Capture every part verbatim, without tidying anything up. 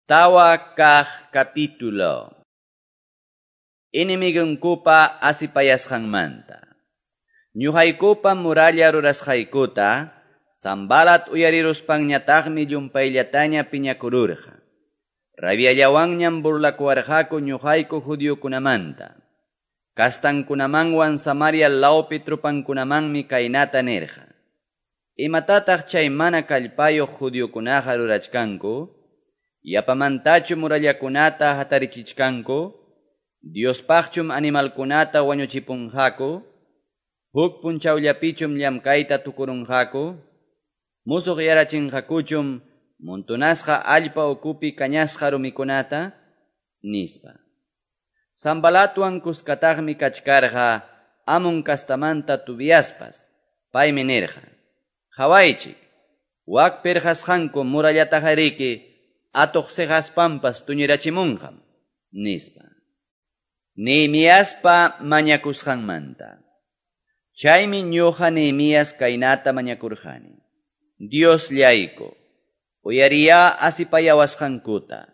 Tawa kaq capítulo. Enemigunkupa asipayasqanmanta. Ñuqaykupa muralla rurasqaykuta, Sanbalat uyariruspanñataqmi llumpayllataña piñakururqa. Rabiallawanñam burlakuwarqaku ñuqayku judiokunamanta. Kastankunamanwan Samaria lawpi trupankunamanmi kaynata nirqa. Imatataq chay mana kallpayuq judiokunaqa rurachkanku? Yapamantachu murallakunata hatarichichkanku? Diospaqchum animalkunata wañuchipunqaku? Huk punchawllapichum llamkayta tukurunqaku? Musuq yarachinqakuchum montonasqa allpa ukupi kañasqa rumikunata? Nispa. Sanbalatwan kuskataqmi kachkarqa Amon kastamanta Tobiaspas. Paymi nirqa: Qhawaychik, wak pirqasqanku murallatajariki atuq siqaspampas tuñirachimunqam, nispa. Nehemiaspa mañakusqanmanta. Chaymi ñuqa Nehemías kaynata mañakurqani. Diosllayku, uyariya asipayawasqankuta,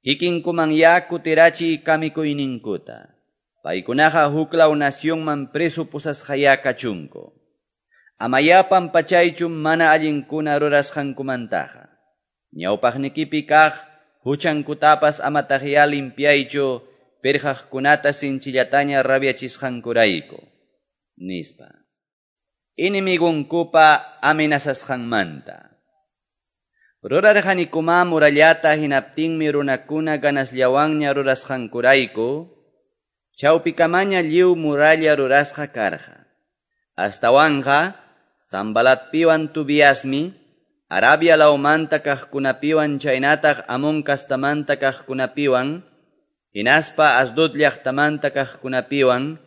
kikinkumanya kutirachiy kamikuyninkuta. Paykunaqa huklaw nacionman preso pusasqaya kachunku. Amaya pampachaychu mana allinkuna rurasqankumantaqa. Ñawpaqnikipi kaq huchankutapas amataqya limpiaychu pirqaqkunata sinchillataña rabiachisqankurayku, nispa. Enemigunkupa amenazasqanmanta. Rurarqanikuma murallata hinaptinmi runakuna ganasllawanña rurasqankurayku, chawpikamaña lliw muralla rurasqa karqa. Astawanqa Sanbalatpiwan Tobiasmi Arabia lawmanta kaqkunapiwan chaynataq Amon kastamanta kaqkunapiwan, hinaspa Asdod llaqtamanta kaqkunapiwan,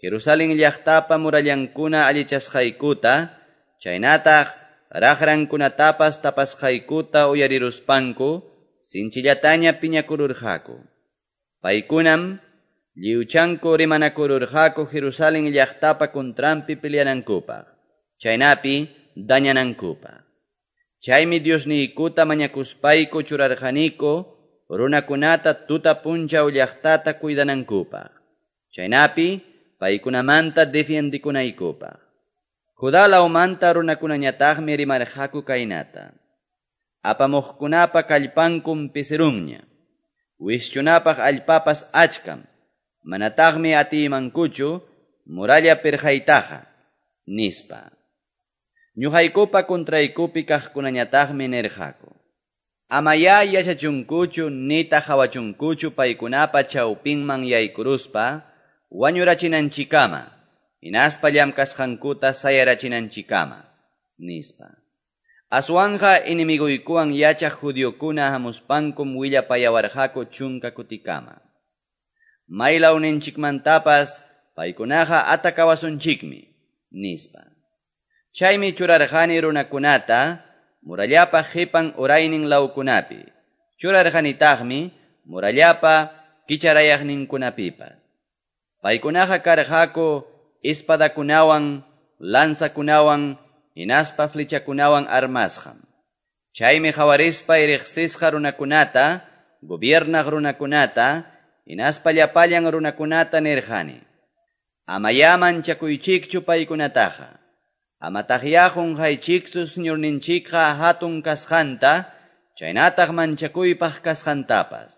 Jerusalén llaqtapa murallankuna allichasqaykuta, chaynataq raqrankunatapas tapasqaykuta uyariruspanku, sinchillataña piñakururqaku. Paykunam lliwchanku rimanakururqaku Jerusalén llaqtapa contranpi peleanankupaq, chaynapi dañanankupaq. Chaymi Diosniykuta mañakuspayku churarqaniku runakunata tuta punchaw llaqtata cuidanankupaq, chaynapi paykunamanta defiendikunaykupaq. Judá lawmanta runakunañataqmi rimarqaku kaynata: Apamuqkunapa kallpankum pisirunña, wischunapaq allpapas achkam, manataqmi atiymankuchu muralla pirqaytaqa, nispa. Ñuqaykupa contraykupi kaqkunañataqmi nirqaku: Amaya yachachunkuchu nitaq hawachunkuchu paykunapa chawpinman yaykuruspa wañurachinanchikama, hinaspa llamkasqankuta sayarachinanchikama, nispa. Aswanqa enemiguykuwan yachaq judiokuna hamuspankum willapayawarqaku chunka kutikama. Maylawninchikmantapas paykunaqa atakawasunchikmi, nispa. Chaymi churarqani runakunata murallapa qipan uraynin lawkunapi, churarqanitaqmi murallapa kicharayaqninkunapipas. Paykunaqa karqaku espadakunawan, lanzakunawan, hinaspa flechakunawan armasqam. Chaymi qawarispa riqsisqa runakunata, gobiernaq runakunata, hinaspa llapallan runakunata nirqani: Amaya manchakuychikchu paykunataqa. Amataqya qunqaychiktsu Señorninchikqa hatun kasqanta, chaynataq manchakuypaq kasqantapas.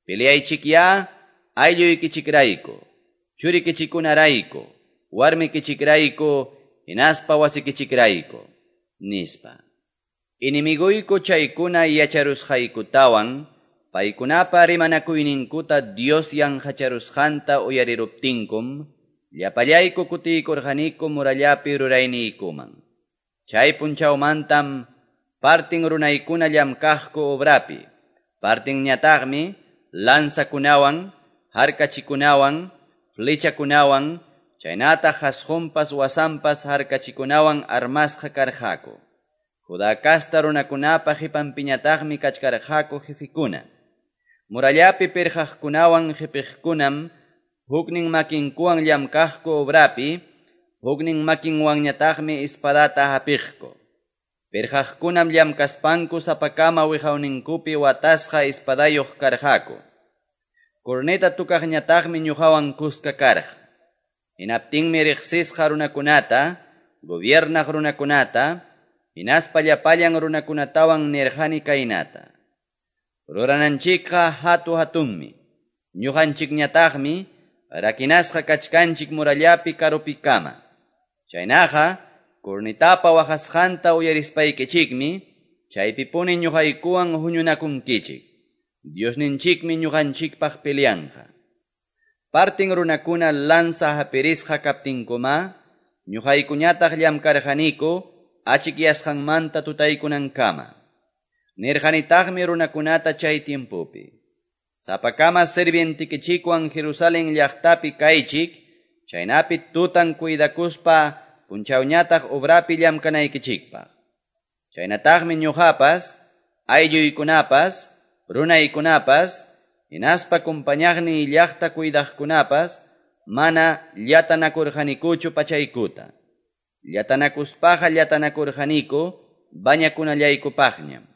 Peleaychikya aylluykichikrayku, churikichikunarayku, warmikichikrayku, hinaspa wasikichikrayku, nispa. Enemiguyku chaykuna yacharusqaykutawan, paykunapa rimanakuyninkuta Dios yanqacharusqanta uyariruptinkum, llapallayku kutiykurqaniku murallapi rurayniykuman. Chay punchawmantam partin runaykuna llamkaqku obrapi, partinñataqmi lanzakunawan, harkachikunawan, flechakunawan, chaynataq hasqunpas wasanpas harkachikunawan armasqa karqaku. Judá kasta runakunapa qipanpiñataqmi kachkarqaku jefikuna. Murallapi pirqaqkunawan qipiqkunam huknin makinkuwan llamkaqku obrapi, huknin makinwanñataqmi espadata hapiqku. Pirqaqkunam llamkaspanku sapakama wiqawninkupi watasqa espadayuq karqaku. Corneta tocaqñataqmi ñuqawan kuska karqa. Hinaptinmi riqsisqa runakunata, gobiernaq runakunata, hinaspa llapallan runakunatawan nirqani kaynata. Rurananchikqa hatu-hatunmi. Ñuqanchikñataqmi rakinasqa kachkanchik murallapi karupikama. Chaynaqa cornetapa waqasqanta uyarispaykichikmi chaypipuni ñuqaykuwan huñunakunkichik. Diosninchikmi ñuqanchikpaq peleanqa. Partin runakuna lanza hapirisqa kaptinkuma, ñuqaykuñataq llamkarqaniku achikyasqanmanta tutaykunankama. Nirqanitaqmi runakunata chay tiempopi. Sapakama sirvientikichikwan Jerusalén llaqtapi kaychik, chaynapi tutan cuidakuspa punchawñataq obrapi llamkanaykichikpaq. Chaynataqmi ñuqapas, aylluykunapas, runaykunapas, hinaspa kumpañaqniy llaqta cuidaqkunapas, mana llatanakurqanikuchu pachaykuta. Llatanakuspaqa llatanakurqaniku bañakunallaykupaqñam.